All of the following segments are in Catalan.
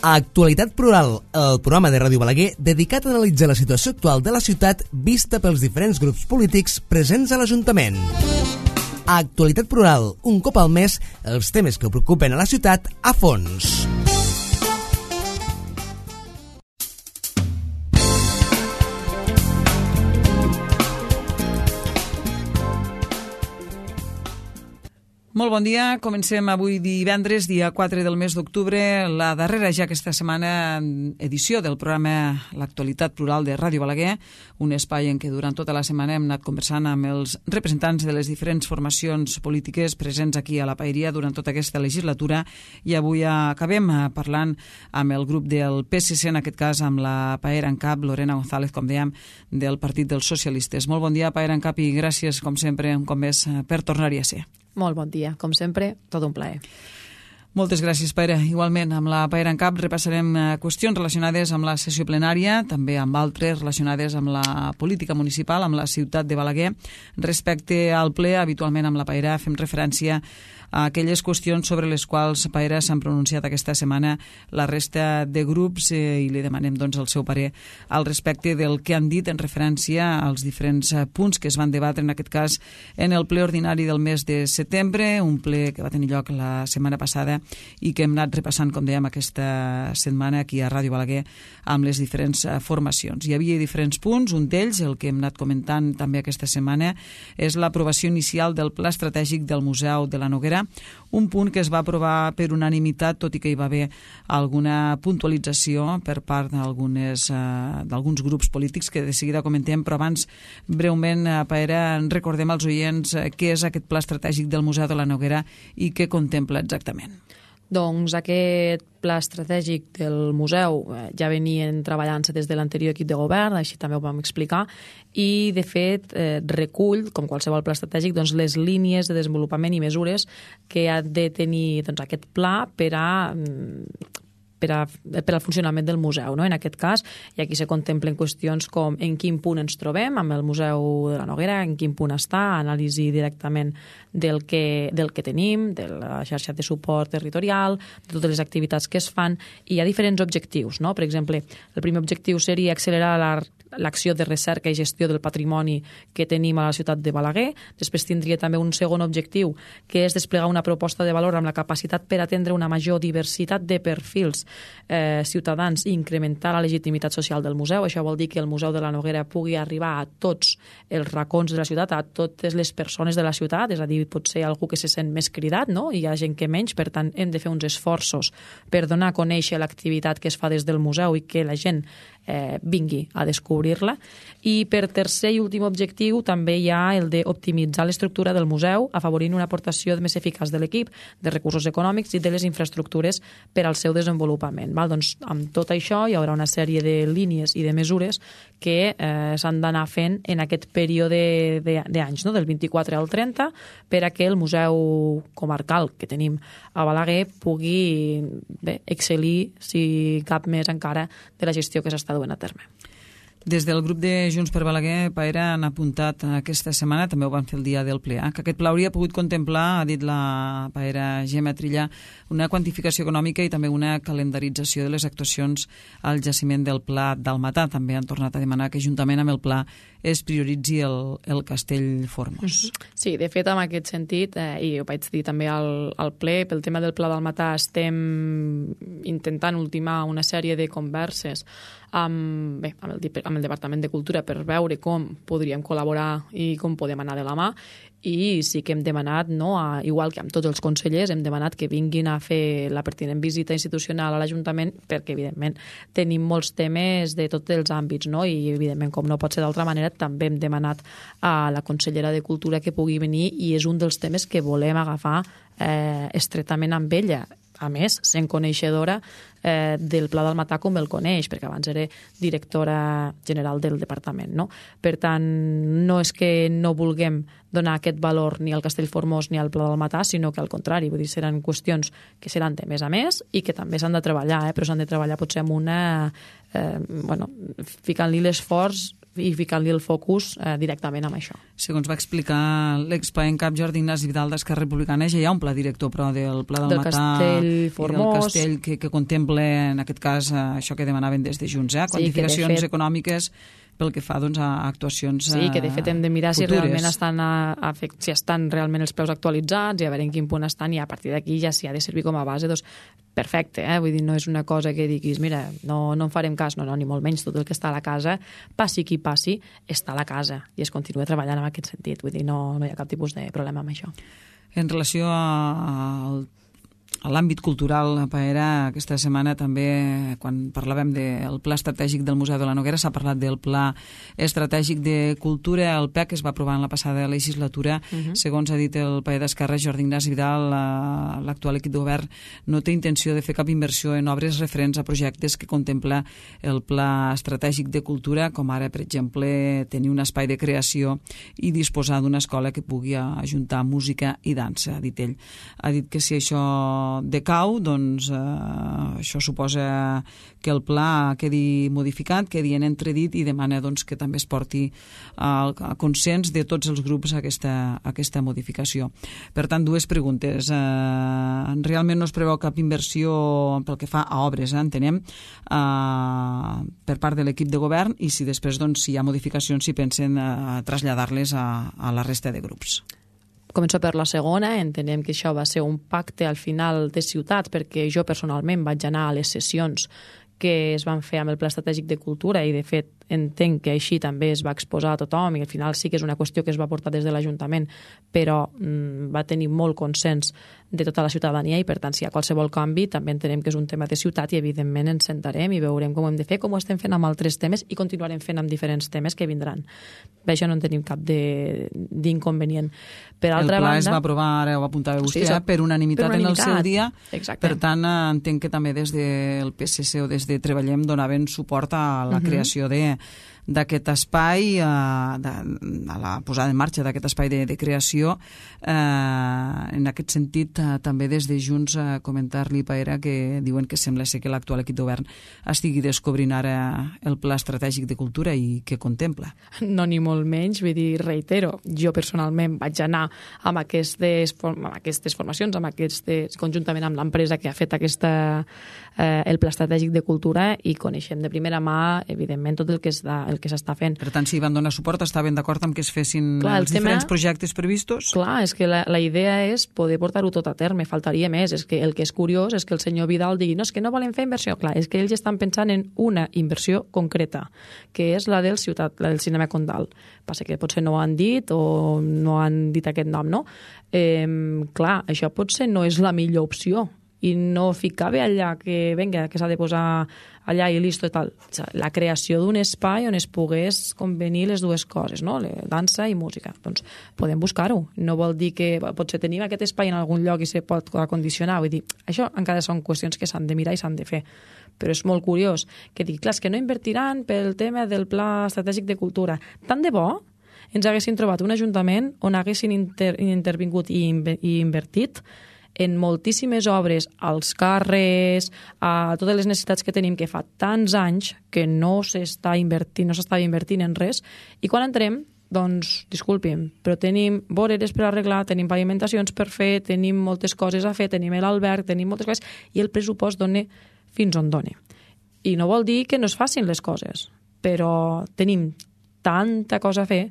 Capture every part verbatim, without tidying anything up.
A Actualitat Plural, el programa de Ràdio Balaguer dedicat a analitzar la situació actual de la ciutat vista pels diferents grups polítics presents a l'Ajuntament. A Actualitat Plural, un cop al mes, els temes que preocupen a la ciutat a fons. Molt bon dia, comencem avui divendres, dia quatre del mes d'octubre, la darrera ja aquesta setmana edició del programa L'Actualitat Plural de Ràdio Balaguer, un espai en què durant tota la setmana hem anat conversant amb els representants de les diferents formacions polítiques presents aquí a la Paeria durant tota aquesta legislatura, i avui acabem parlant amb el grup del P S C, en aquest cas amb la Paera en cap, Lorena González, com dèiem, del Partit dels Socialistes. Molt bon dia, Paera en cap, i gràcies, com sempre, un cop més, per tornar-hi a ser. Molt bon dia. Com sempre, tot un plaer. Moltes gràcies, Paera. Igualment, amb la Paera en cap repassarem qüestions relacionades amb la sessió plenària, també amb altres relacionades amb la política municipal, amb la ciutat de Balaguer. Respecte al ple, habitualment amb la Paera fem referència a aquelles qüestions sobre les quals, Paera, s'han pronunciat aquesta setmana la resta de grups eh, i li demanem doncs, el seu parer al respecte del que han dit en referència als diferents punts que es van debatre, en aquest cas, en el ple ordinari del mes de setembre, un ple que va tenir lloc la setmana passada i que hem anat repassant, com dèiem, aquesta setmana aquí a Ràdio Balaguer amb les diferents formacions. Hi havia diferents punts, un d'ells, el que hem anat comentant també aquesta setmana, és l'aprovació inicial del Pla Estratègic del Museu de la Noguera, un punt que es va aprovar per unanimitat, tot i que hi va haver alguna puntualització per part d'algunes eh, d'alguns grups polítics que de seguida comentem, però abans breument, eh, Paera, recordem als oients eh, què és aquest Pla Estratègic del Museu de la Noguera i què contempla exactament. Doncs aquest pla estratègic del museu eh, ja venien treballant-se des de l'anterior equip de govern, així també ho vam explicar, i de fet eh, recull, com qualsevol pla estratègic, doncs, les línies de desenvolupament i mesures que ha de tenir doncs, aquest pla per a per, a, per al funcionament del museu, no? En aquest cas, i aquí se contemplen qüestions com en quin punt ens trobem amb el Museu de la Noguera, en quin punt està, anàlisi directament del que, del que tenim, de la xarxa de suport territorial, de totes les activitats que es fan, i hi ha diferents objectius, no? Per exemple, el primer objectiu seria accelerar la l'acció de recerca i gestió del patrimoni que tenim a la ciutat de Balaguer. Després tindria també un segon objectiu, que és desplegar una proposta de valor amb la capacitat per atendre una major diversitat de perfils eh, ciutadans i incrementar la legitimitat social del museu. Això vol dir que el Museu de la Noguera pugui arribar a tots els racons de la ciutat, a totes les persones de la ciutat, és a dir, pot ser algú que se sent més cridat, no? Hi ha gent que menys, per tant hem de fer uns esforços per donar a conèixer l'activitat que es fa des del museu i que la gent eh, vingui a descobrir-la. I per tercer i últim objectiu també hi ha el d'optimitzar l'estructura del museu, afavorint una aportació més eficaç de l'equip, de recursos econòmics i de les infraestructures per al seu desenvolupament. Val? Doncs amb tot això hi haurà una sèrie de línies i de mesures que eh, s'han d'anar fent en aquest període d'anys, no? Del vint-i-quatre al trenta, per a que el museu comarcal que tenim a Balaguer pugui bé, excel·lir, si cap més encara, de la gestió que s'està duent a terme. Des del grup de Junts per Balaguer, Paera, han apuntat aquesta setmana, també ho van fer el dia del ple, eh, que aquest pla hauria pogut contemplar, ha dit la Paera Gemma Trilla, una quantificació econòmica i també una calendarització de les actuacions al jaciment del Pla d'Almatà. També han tornat a demanar que juntament amb el pla es prioritzi el, el Castell Formós. Sí, de fet, en aquest sentit, eh, i ho vaig dir també al, al ple, pel tema del Pla d'Almatà estem intentant ultimar una sèrie de converses amb, bé, amb, el, amb el Departament de Cultura per veure com podríem col·laborar i com podem anar de la mà, i sí que hem demanat, no, a, igual que amb tots els consellers, hem demanat que vinguin a fer la pertinent visita institucional a l'Ajuntament, perquè evidentment tenim molts temes de tots els àmbits, no? I evidentment, com no pot ser d'altra manera, també hem demanat a la consellera de Cultura que pugui venir, i és un dels temes que volem agafar eh, estretament amb ella. A més, sent coneixedora eh, del Pla d'Almatà com el coneix, perquè abans era directora general del departament, no? Per tant, no és que no vulguem donar aquest valor ni al Castell Formós ni al Pla d'Almatà, sinó que al contrari, vull dir, seran qüestions que seran de més a més i que també s'han de treballar, eh? Però s'han de treballar potser amb una... Eh, bueno, ficant-li l'esforç i ficant-li el focus eh, directament amb això. Segons va explicar l'expoent cap Jordi Ignasi Vidal d'Esquerra Republicana, ja hi ha un pla director, però del Pla del, del Matà Castell i Formós, del Castell que, que contempla, en aquest cas, això que demanaven des de Junts, eh? Quantificacions sí, fet... econòmiques pel que fa doncs, a actuacions futures. Sí, que de fet hem de mirar si realment estan, a, a, si estan realment els preus actualitzats i a veure en quin punt estan, i a partir d'aquí ja si ha de servir com a base, doncs perfecte, eh? Vull dir, no és una cosa que diguis, mira, no, no en farem cas, no, no, ni molt menys, tot el que està a la casa, passi qui passi, està a la casa i es continua treballant en aquest sentit, vull dir, no, no hi ha cap tipus de problema amb això. En relació al A l'àmbit cultural, Paera, aquesta setmana també, quan parlàvem del Pla Estratègic del Museu de la Noguera, s'ha parlat del Pla Estratègic de Cultura, el P E C, que es va aprovar en la passada legislatura. Uh-huh. Segons ha dit el paer d'Esquerra, Jordi Ignasi Vidal, l'actual equip de govern no té intenció de fer cap inversió en obres referents a projectes que contempla el Pla Estratègic de Cultura, com ara, per exemple, tenir un espai de creació i disposar d'una escola que pugui ajuntar música i dansa, ha dit ell. Ha dit que si això decau, doncs eh, això suposa que el pla quedi modificat, quedi en entredit, i demana doncs, que també es porti al consens de tots els grups a aquesta, a aquesta modificació. Per tant, dues preguntes. Eh, realment no es preveu cap inversió pel que fa a obres, eh, entenem, eh, per part de l'equip de govern, i si després doncs, si hi ha modificacions, si pensen eh, traslladar-les a, a la resta de grups. Començo per la segona. Entenem que això va ser un pacte al final de ciutats, perquè jo personalment vaig anar a les sessions que es van fer amb el Pla Estratègic de Cultura i, de fet, entenc que així també es va exposar a tothom, i al final sí que és una qüestió que es va portar des de l'Ajuntament, però mm, va tenir molt consens de tota la ciutadania, i per tant, si hi ha qualsevol canvi, també entenem que és un tema de ciutat i evidentment ens sentarem i veurem com ho hem de fer, com ho estem fent amb altres temes i continuarem fent amb diferents temes que vindran. Per això no en tenim cap d'inconvenient. Per altra el pla banda, es va aprovar, ara ho apuntava vostè, sí, eh, per unanimitat, per unanimitat en el seu dia. Exacte. Per tant, entenc que també des del P S C o des de Treballem donaven suport a la uh-huh. creació de d'aquest espai, a, a la posada en marxa d'aquest espai de, de creació. Eh, en aquest sentit, eh, també des de Junts, eh, comentar-li, Paera, que diuen que sembla ser que l'actual equip de govern estigui descobrint ara el Pla Estratègic de Cultura i què contempla. No, ni molt menys, vull dir, reitero, jo personalment vaig anar amb aquestes, amb aquestes formacions, amb aquestes, conjuntament amb l'empresa que ha fet aquesta, eh, el Pla Estratègic de Cultura, i coneixem de primera mà, evidentment, tot el que és de, el que s'està fent. Per tant, si van donar suport, estaven d'acord amb que es fessin clar, els tema, diferents projectes previstos? Clar, és que la, la idea és poder portar-ho tot a terme, faltaria més. És que el que és curiós és que el senyor Vidal digui no, és que no volen fer inversió. Clar, és que ells estan pensant en una inversió concreta, que és la del ciutat, la del cinema Condal. Passa que potser no ho han dit o no han dit aquest nom, no? Eh, clar, això potser no és la millor opció, i no ficava allà que, venga, que s'ha de posar allà i listo i tal. La creació d'un espai on es pogués convenir les dues coses, no? Dansa i música. Doncs podem buscar-ho. No vol dir que potser tenim aquest espai en algun lloc i se pot acondicionar. Vull dir, això encara són qüestions que s'han de mirar i s'han de fer. Però és molt curiós que digui, clar, és que no invertiran pel tema del Pla Estratègic de Cultura. Tant de bo ens haguessin trobat un ajuntament on haguessin inter intervingut i, i invertit en moltíssimes obres, als carrers, a totes les necessitats que tenim, que fa tants anys que no s'està invertint, no s'està invertint en res, i quan entrem, doncs, disculpi'm, però tenim voreres per arreglar, tenim pavimentacions per fer, tenim moltes coses a fer, tenim l'alberg, tenim moltes coses, i el pressupost dona fins on dona. I no vol dir que no es facin les coses, però tenim tanta cosa a fer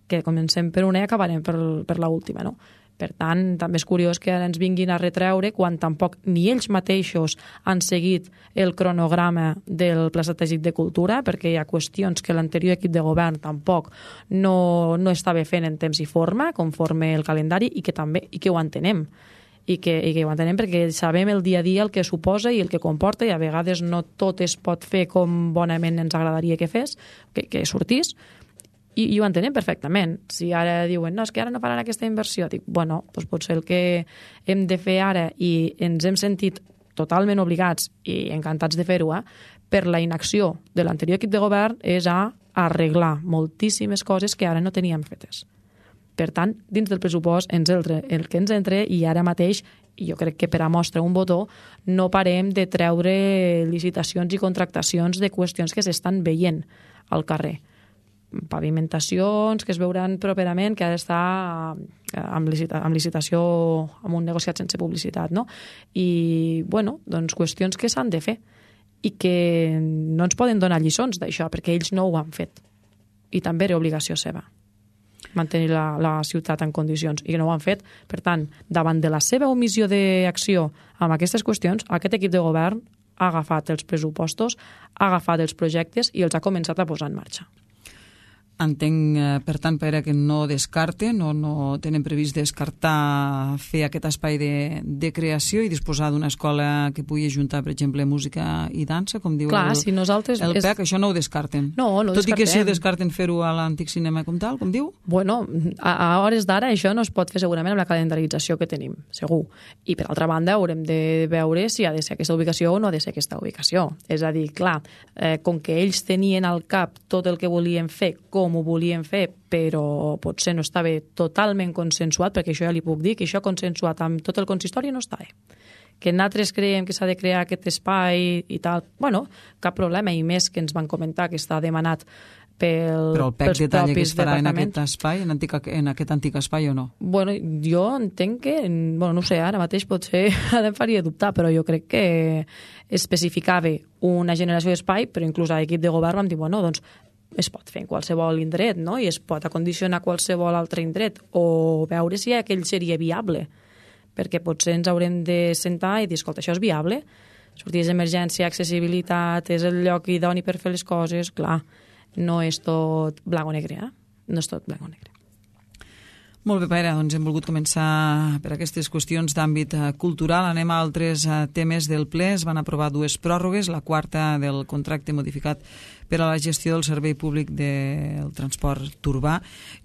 que comencem per una i acabarem per, per l'última, no? Per tant, també és curiós que ara ens vinguin a retreure quan tampoc ni ells mateixos han seguit el cronograma del Pla Estratègic de Cultura, perquè hi ha qüestions que l'anterior equip de govern tampoc no, no estava fent en temps i forma, conforme el calendari, i que també i que ho entenem. I que, i que ho entenem perquè sabem el dia a dia el que suposa i el que comporta, i a vegades no tot es pot fer com bonament ens agradaria que fes, que, que sortís, I, i ho entenem perfectament. Si ara diuen, no, és que ara no faran aquesta inversió, dic, bueno, doncs potser el que hem de fer ara, i ens hem sentit totalment obligats i encantats de fer-ho, eh, per la inacció de l'anterior equip de govern, és a arreglar moltíssimes coses que ara no teníem fetes. Per tant, dins del pressupost, ens el, el que ens entre, i ara mateix, i jo crec que per a mostra un botó, no parem de treure licitacions i contractacions de qüestions que s'estan veient al carrer. pavimentacions que es veuran properament, que ha d'estar amb, licita, amb licitació, amb un negociat sense publicitat, no? I, bueno, doncs qüestions que s'han de fer i que no ens poden donar lliçons d'això, perquè ells no ho han fet. I també era obligació seva mantenir la, la ciutat en condicions, i no ho han fet. Per tant, davant de la seva omissió d'acció amb aquestes qüestions, aquest equip de govern ha agafat els pressupostos, ha agafat els projectes i els ha començat a posar en marxa. Entenc, per tant, Pere, que no descarten o no tenen previst descartar fer aquest espai de, de creació i disposar d'una escola que pugui ajuntar, per exemple, música i dansa, com diu Clar, el, si nosaltres el és... P E C, això no ho descarten. No, no ho Tot descartem. i que sí descarten fer-ho a l'antic cinema com tal, com diu? Bueno, a, a hores d'ara això no es pot fer segurament amb la calendarització que tenim, segur. I per altra banda haurem de veure si ha de ser aquesta ubicació o no ha de ser aquesta ubicació. És a dir, clar, eh, com que ells tenien al cap tot el que volien fer, com ho volien fer, però potser no estava totalment consensuat, perquè això ja li puc dir, que això consensuat amb tot el consistori no estava. Que nosaltres creiem que s'ha de crear aquest espai i tal, bueno, cap problema, i més que ens van comentar que està demanat pel, Però el P E C detalla que es farà en aquest espai, en, antic, en aquest antic espai o no? Bueno, jo entenc que, bueno, no sé, ara mateix potser em faria dubtar, però jo crec que especificava una generació d'espai, però inclús a l'equip de govern vam dir, bueno, doncs es pot fer en qualsevol indret, no? I es pot acondicionar qualsevol altre indret, o veure si aquell seria viable, perquè potser ens haurem de sentar i dir, escolta, això és viable? Sortides d'emergència, accessibilitat, és el lloc idoni per fer les coses, clar, no és tot blanc o negre, eh? No és tot blanc o negre. Molt bé, Pere, doncs hem volgut començar per aquestes qüestions d'àmbit cultural. Anem a altres temes del ple. Es van aprovar dues pròrrogues, la quarta del contracte modificat per a la gestió del servei públic del transport urbà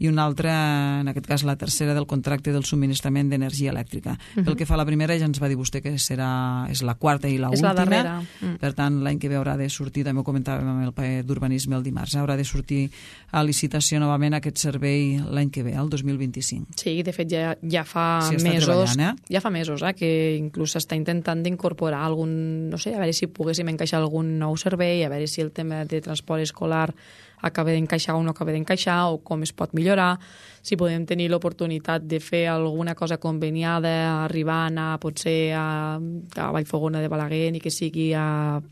i una altra, en aquest cas la tercera, del contracte del subministrament d'energia elèctrica. Uh-huh. Pel que fa a la primera, ja ens va dir vostè que serà, és la quarta i la és última. La darrera. Mm. Per tant, l'any que ve haurà de sortir, també ho comentàvem amb el ple d'urbanisme el dimarts, haurà de sortir a licitació novament aquest servei l'any que ve, el dos mil vint-i-cinc. Sí, de fet ja, ja fa sí, mesos, eh? ja fa mesos eh, que inclús s'està intentant d'incorporar algun, no sé, a veure si poguéssim encaixar algun nou servei, a veure si el tema de transport escolar acaba d'encaixar o no acaba d'encaixar, o com es pot millorar, si podem tenir l'oportunitat de fer alguna cosa conveniada, arribant a potser a, a Vallfogona de Balaguer, ni que sigui a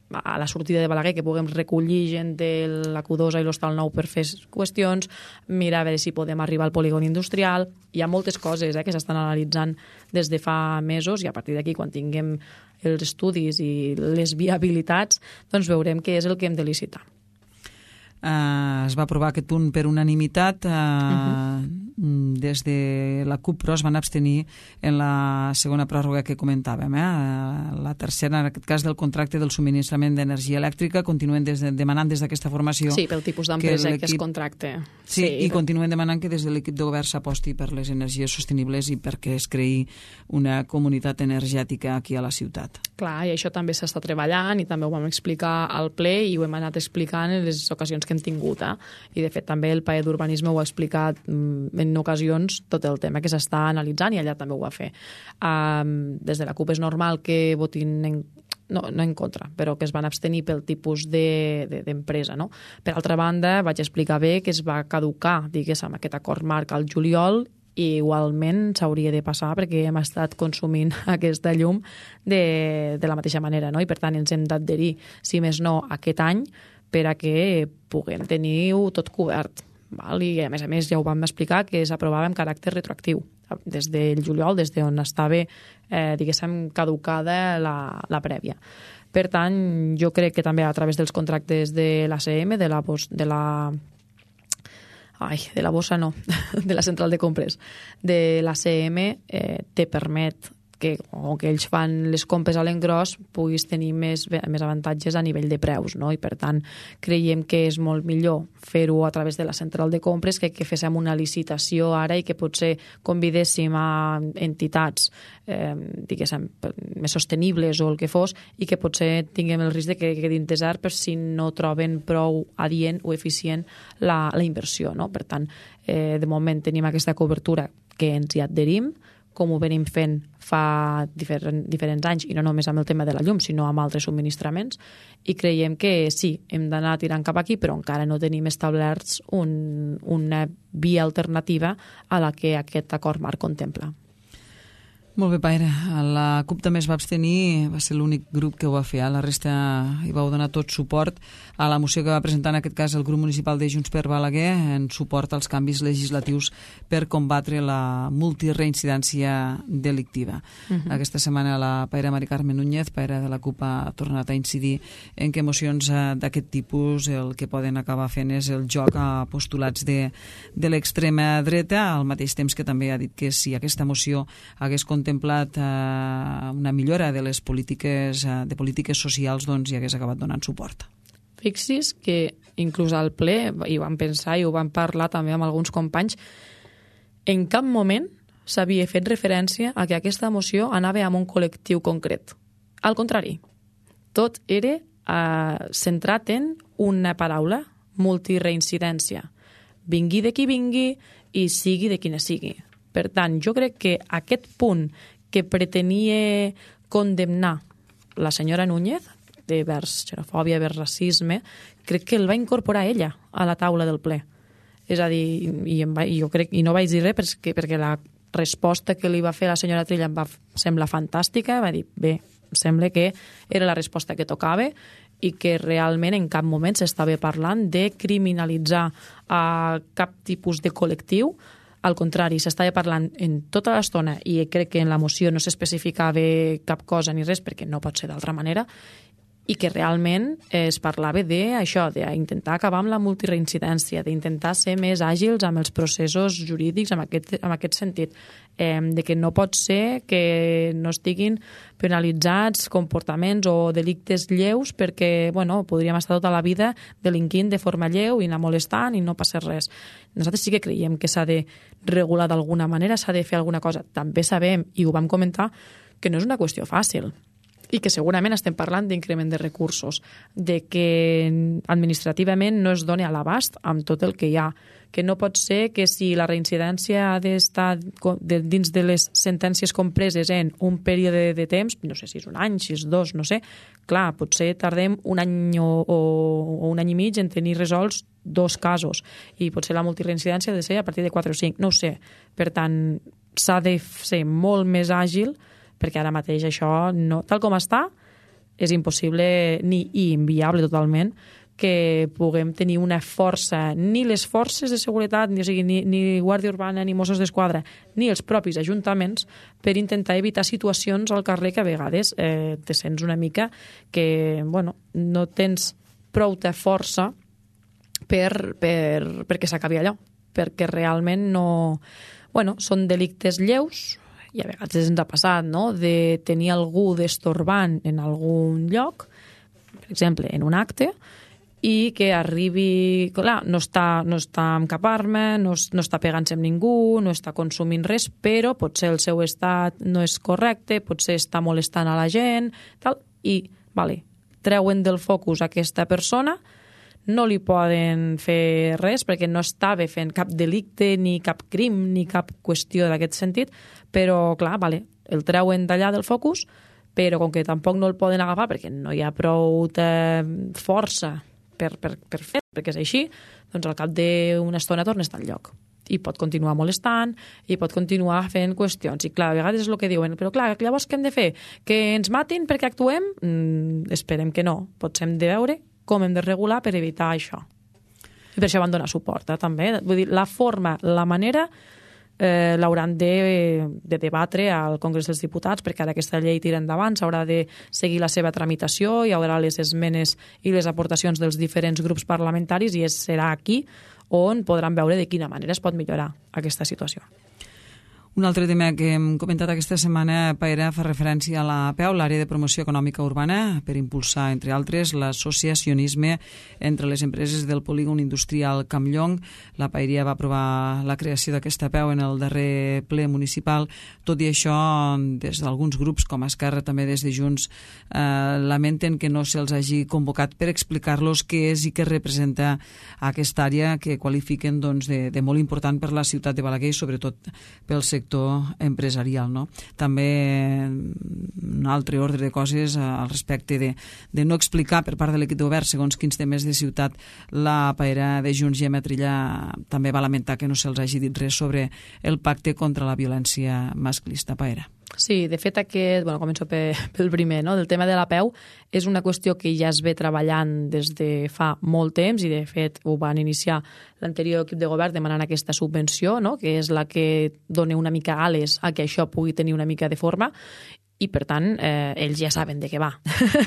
a la sortida de Balaguer, que puguem recollir gent de la Q dos i l'Hostal Nou per fer qüestions, mirar a veure si podem arribar al polígon industrial. Hi ha moltes coses eh, que s'estan analitzant des de fa mesos, i a partir d'aquí, quan tinguem els estudis i les viabilitats, doncs veurem què és el que hem de licitar. Uh, es va aprovar aquest punt per unanimitat. Uh, uh-huh. Des de la CUP, però es van abstenir en la segona pròrroga que comentàvem. Eh? Uh, la tercera, en aquest cas, del contracte del subministrament d'energia elèctrica. Continuen des de, demanant des d'aquesta formació... Sí, pel tipus d'empresa que, que es contracte. Sí, sí, i continuen demanant que des de l'equip de govern s'aposti per les energies sostenibles i perquè es creï una comunitat energètica aquí a la ciutat. Clar, i això també s'està treballant i també ho vam explicar al ple i ho hem anat explicant en les ocasions que hem tingut. Eh? I, de fet, també el P E d'Urbanisme ho ha explicat en ocasions tot el tema que s'està analitzant, i allà també ho va fer. Um, des de la CUP és normal que votin en, no, no en contra, però que es van abstenir pel tipus de, de, d'empresa. No? Per altra banda, vaig explicar bé que es va caducar, diguéssim, aquest acord marc al juliol, i igualment s'hauria de passar perquè hem estat consumint aquesta llum de, de la mateixa manera, no? I per tant ens hem d'adherir, si més no, aquest any, per a que puguem tenir-ho tot cobert. Val? I a més a més ja ho vam explicar que s'aprovava amb caràcter retroactiu des del juliol, des d'on estava eh, diguéssim caducada la, la prèvia. Per tant, jo crec que també a través dels contractes de l'A C M, de la, de la ai, de la bossa no, de la central de compres de l'A C M, eh, te permet que, o que ells fan les compres a l'engròs, puguis tenir més, més avantatges a nivell de preus, no? I per tant creiem que és molt millor fer-ho a través de la central de compres que que féssim una licitació ara i que potser convidéssim a entitats eh, diguéssim, més sostenibles o el que fos, i que potser tinguem el risc de que quedin desert per si no troben prou adient o eficient la, la inversió, no? Per tant, eh, de moment tenim aquesta cobertura que ens hi adherim, com ho venim fent fa diferent, diferents anys, i no només amb el tema de la llum, sinó amb altres subministraments, i creiem que sí, hem d'anar tirant cap aquí, però encara no tenim establerts un, una via alternativa a la que aquest acord marc contempla. Molt bé, Paire. La CUP també es va abstenir, va ser l'únic grup que ho va fer. La resta hi vau donar tot suport a la moció que va presentar en aquest cas el grup municipal de Junts per Balaguer en suport als canvis legislatius per combatre la multireincidència delictiva. Uh-huh. Aquesta setmana la Paire Mari Carme Núñez, Paire de la CUP, ha tornat a incidir en que mocions d'aquest tipus el que poden acabar fent és el joc a postulats de, de l'extrema dreta, al mateix temps que també ha dit que si aquesta moció hagués contemplat eh, una millora de les polítiques eh, de polítiques socials, doncs hi hagués acabat donant suport. Fixis que inclús al ple hi vam pensar i ho vam parlar també amb alguns companys, en cap moment s'havia fet referència a que aquesta moció anava amb un col·lectiu concret. Al contrari, tot era eh, centrat en una paraula, multireincidència. Vingui de qui vingui i sigui de quina sigui. Per tant, jo crec que aquest punt que pretenia condemnar la senyora Núñez, de vers xenofòbia, vers racisme, crec que el va incorporar ella a la taula del ple. És a dir, i, em va, i jo crec, i no vaig dir res perquè, perquè la resposta que li va fer la senyora Trilla em va semblar fantàstica, va dir, bé, sembla que era la resposta que tocava i que realment en cap moment s'estava parlant de criminalitzar a cap tipus de col·lectiu. Al contrari, s'estava parlant en tota l'estona i crec que en la moció no s'especificava cap cosa ni res perquè no pot ser d'altra manera, i que realment es parlava d'això, d'intentar acabar amb la multireincidència, d'intentar ser més àgils amb els processos jurídics en aquest, en aquest sentit, eh, de que no pot ser que no estiguin penalitzats comportaments o delictes lleus perquè, bueno, podríem estar tota la vida delinquint de forma lleu i anar molestant i no passa res. Nosaltres sí que creiem que s'ha de regular d'alguna manera, s'ha de fer alguna cosa. També sabem, i ho vam comentar, que no és una qüestió fàcil, i que segurament estem parlant d'increment de recursos, de que administrativament no es doni a l'abast amb tot el que hi ha, que no pot ser que si la reincidència ha d'estar dins de les sentències compreses en un període de temps, no sé si és un any, si és dos, no sé, clar, potser tardem un any o, o un any i mig en tenir resolts dos casos, i potser la multireincidència ha de ser a partir de quatre o cinc, no ho sé. Per tant, s'ha de ser molt més àgil, perquè ara mateix això, no, tal com està, és impossible ni i inviable totalment que puguem tenir una força, ni les forces de seguretat, ni, o sigui, ni, ni Guàrdia Urbana, ni Mossos d'Esquadra, ni els propis ajuntaments, per intentar evitar situacions al carrer que a vegades eh, te sents una mica que, bueno, no tens prou de força per, per, perquè s'acabi allò, perquè realment no... Bueno, són delictes lleus, i a vegades ens ha passat, no?, de tenir algú destorbant en algun lloc, per exemple, en un acte, i que arribi... Clar, no està, no està amb cap arma, no, no està pegant-se amb ningú, no està consumint res, però potser el seu estat no és correcte, potser està molestant a la gent, tal, i, vale, treuen del focus aquesta persona, no li poden fer res perquè no estava fent cap delicte, ni cap crim, ni cap qüestió d'aquest sentit, però, clar, vale, el treuen d'allà del focus, però com que tampoc no el poden agafar perquè no hi ha prou força per, per, per fer, perquè és així, doncs al cap d'una estona torna a estar al lloc. I pot continuar molestant, i pot continuar fent qüestions. I clar, a vegades és el que diuen, però clar, llavors què hem de fer? Que ens matin perquè actuem? Mm, esperem que no. Potser hem de veure com hem de regular per evitar això. I per això van donar suport, eh, també. Vull dir, la forma, la manera, eh, l'hauran de, de debatre al Congrés dels Diputats, perquè ara aquesta llei tira endavant, s'haurà de seguir la seva tramitació, hi haurà les esmenes i les aportacions dels diferents grups parlamentaris, i és, serà aquí on podran veure de quina manera es pot millorar aquesta situació. Un altre tema que hem comentat aquesta setmana, Paire, fa referència a la A P E U, l'Àrea de Promoció Econòmica Urbana, per impulsar, entre altres, l'associacionisme entre les empreses del polígon industrial Campllong. La Paeria va aprovar la creació d'aquesta A P E U en el darrer ple municipal. Tot i això, des d'alguns grups, com Esquerra, també des de Junts, eh, lamenten que no se'ls hagi convocat per explicar-los què és i què representa aquesta àrea que qualifiquen doncs, de, de molt important per la ciutat de Balaguer i sobretot pel sector sector empresarial, no? També un altre ordre de coses al respecte de, de no explicar per part de l'equip de govern segons quins temes de ciutat. La paera de Junts, Gemma Trilla, també va lamentar que no se'ls hagi dit res sobre el pacte contra la violència masclista. Paera. Sí, de fet aquest, bueno, començo pel primer, no? Del tema de la P E U, és una qüestió que ja es ve treballant des de fa molt temps i de fet ho van iniciar l'anterior equip de govern demanant aquesta subvenció, no? Que és la que dona una mica ales a que això pugui tenir una mica de forma i, per tant, eh, ells ja saben de què va.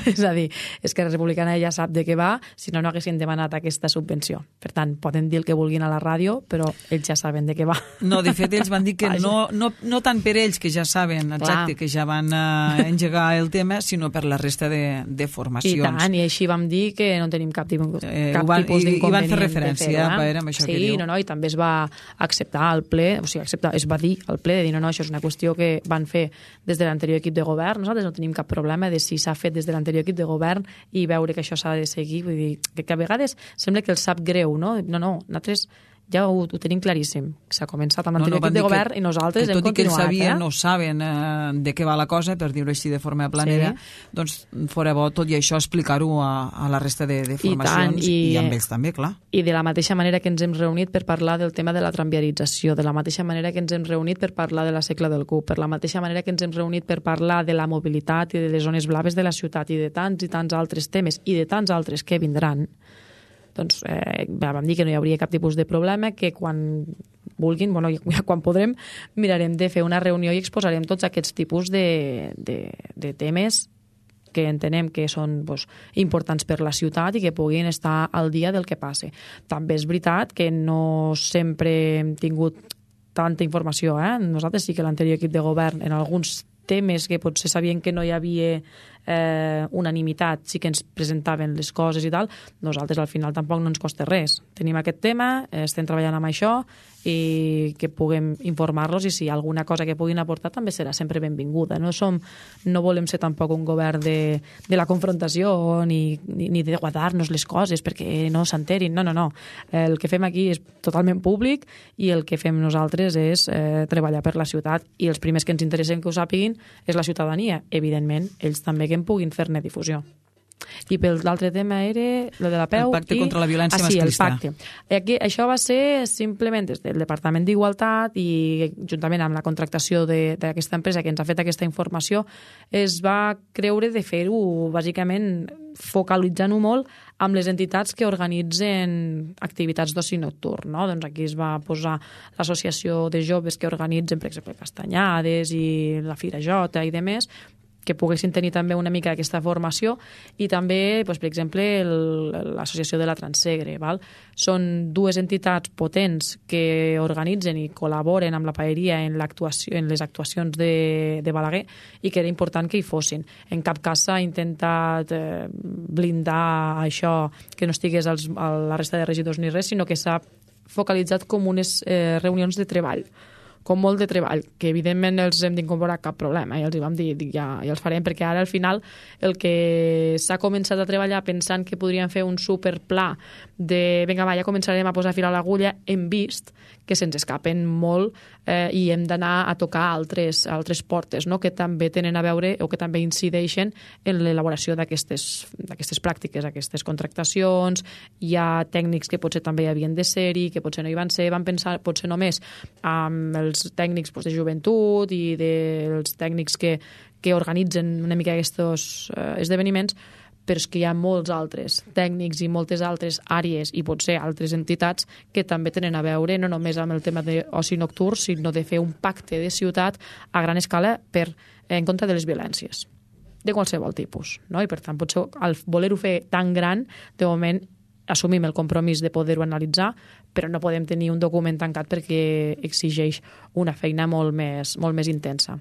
És a dir, Esquerra Republicana ja sap de què va, si no, no haguessin demanat aquesta subvenció. Per tant, poden dir el que vulguin a la ràdio, però ells ja saben de què va. No, de fet, ells van dir que no, no, no tant per ells, que ja saben, exacte, Clar. que ja van uh, engegar el tema, sinó per la resta de, de formacions. I tant, i així vam dir que no tenim cap, tipus, eh, cap van, tipus d'inconvenient. I van fer referència, eh? Paera, amb això sí, que diu. No, no, i també es va acceptar al ple, o sigui, acceptar, es va dir al ple de dir, no, no, això és una qüestió que van fer des de l'anterior equip de govern, nosaltres no tenim cap problema de si s'ha fet des de l'anterior equip de govern i veure que això s'ha de seguir, vull dir, que, que a vegades sembla que els sap greu, no? No, no, nosaltres ja ho, ho tenim claríssim. S'ha començat amb l'anterior no, no, equip de govern que, i nosaltres hem continuat. Tot i que ells sabien, eh? no saben eh, de què va la cosa, per dir-ho així de forma planera, sí. doncs fora bo tot i això explicar-ho a, a la resta de, de formacions I, tant, i, i amb ells també, clar. I de la mateixa manera que ens hem reunit per parlar del tema de la tramviarització, de la mateixa manera que ens hem reunit per parlar de la secla del Cup, per la mateixa manera que ens hem reunit per parlar de la mobilitat i de les zones blaves de la ciutat i de tants i tants altres temes i de tants altres que vindran, doncs eh, vam dir que no hi hauria cap tipus de problema, que quan vulguin, bueno, ja quan podrem, mirarem de fer una reunió i exposarem tots aquests tipus de, de, de temes que entenem que són pues, importants per la ciutat i que puguin estar al dia del que passe. També és veritat que no sempre hem tingut tanta informació. Eh? Nosaltres sí que l'anterior equip de govern en alguns temes que potser sabien que no hi havia eh, unanimitat, sí que ens presentaven les coses i tal, nosaltres al final tampoc no ens costa res. Tenim aquest tema, estem treballant amb això i que puguem informar-los i si hi ha alguna cosa que puguin aportar també serà sempre benvinguda. No som, no volem ser tampoc un govern de, de la confrontació ni, ni, ni de guardar-nos les coses perquè no s'enterin. No, no, no. El que fem aquí és totalment públic i el que fem nosaltres és eh, treballar per la ciutat i els primers que ens interessen que ho sàpiguin és la ciutadania. Evidentment, ells també que en puguin fer-ne difusió. I pel l'altre tema era lo de la P E U. El pacte i... contra la violència ah, sí, masclista. El pacte. Aquí, això va ser simplement des del Departament d'Igualtat i juntament amb la contractació d'aquesta empresa que ens ha fet aquesta informació es va creure de fer-ho bàsicament focalitzant-ho molt amb les entitats que organitzen activitats d'oci nocturn. No? Doncs aquí es va posar l'associació de joves que organitzen, per exemple, castanyades i la Fira Jota i demés, que poguessin tenir també una mica aquesta formació i també, doncs, per exemple, l'associació de la Transsegre. Val? Són dues entitats potents que organitzen i col·laboren amb la paeria en, en les actuacions de, de Balaguer i que era important que hi fossin. En cap cas s'ha intentat eh, blindar això, que no estigués als, a la resta de regidors ni res, sinó que s'ha focalitzat com unes eh, reunions de treball, com molt de treball, que evidentment els hem d'incorporar cap problema, i els hi vam dir, dic, ja, ja els farem, perquè ara al final el que s'ha començat a treballar pensant que podríem fer un superpla de, vinga va, ja començarem a posar fil a l'agulla, hem vist que se'ns escapen molt eh, i hem d'anar a tocar altres, altres portes, no? Que també tenen a veure o que també incideixen en l'elaboració d'aquestes pràctiques, aquestes contractacions. Hi ha tècnics que potser també hi havien de ser-hi, que potser no hi van ser, van pensar potser només amb els tècnics pues, de joventut i dels tècnics que, que organitzen una mica aquests eh, esdeveniments, però és que hi ha molts altres tècnics i moltes altres àrees i potser altres entitats que també tenen a veure no només amb el tema d'oci nocturn, sinó de fer un pacte de ciutat a gran escala per, en contra de les violències, de qualsevol tipus. No? I per tant, potser al voler-ho fer tan gran, de moment assumim el compromís de poder-ho analitzar, però no podem tenir un document tancat perquè exigeix una feina molt més, molt més intensa.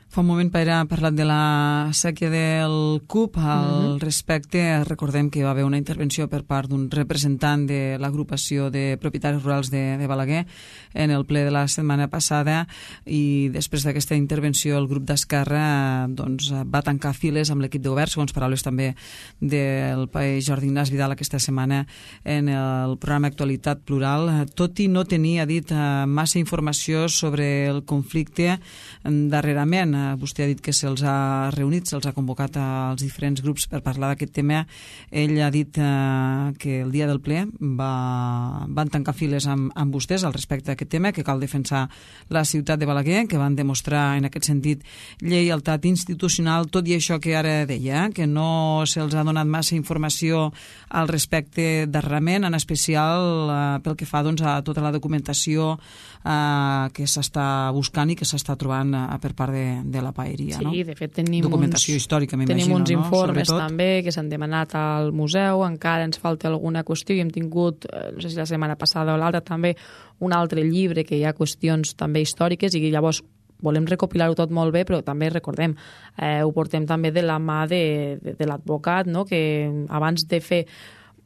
Fa un moment Pere ha parlat de la sèquia del C U P. Al mm-hmm. respecte, recordem que hi va haver una intervenció per part d'un representant de l'agrupació de propietaris rurals de, de Balaguer en el ple de la setmana passada, i després d'aquesta intervenció el grup d'Esquerra doncs, va tancar files amb l'equip de govern, segons paraules també del país Jordi Ignasi Vidal aquesta setmana en el programa Actualitat Plural, tot i no tenir, ha dit, massa informació sobre el conflicte darrerament. Vostè ha dit que se'ls ha reunit, se'ls ha convocat als diferents grups per parlar d'aquest tema. Ell ha dit eh, que el dia del ple va, van tancar files amb, amb vostès al respecte d'aquest tema, que cal defensar la ciutat de Balaguer, que van demostrar en aquest sentit lleialtat institucional, tot i això que ara deia, eh, que no se'ls ha donat massa informació al respecte darrerament, en especial eh, pel que fa doncs, a tota la documentació eh, que s'està buscant i que s'està trobant eh, per part de de la paeria, sí, no? Sí, de fet tenim documentació uns, històrica, tenim uns no? informes Sobretot. també que s'han demanat al museu, encara ens falta alguna qüestió i hem tingut, no sé si la setmana passada o l'altra també, un altre llibre que hi ha qüestions també històriques i llavors volem recopilar-ho tot molt bé, però també recordem, eh, ho portem també de la mà de, de, de l'advocat, no? Que abans de fer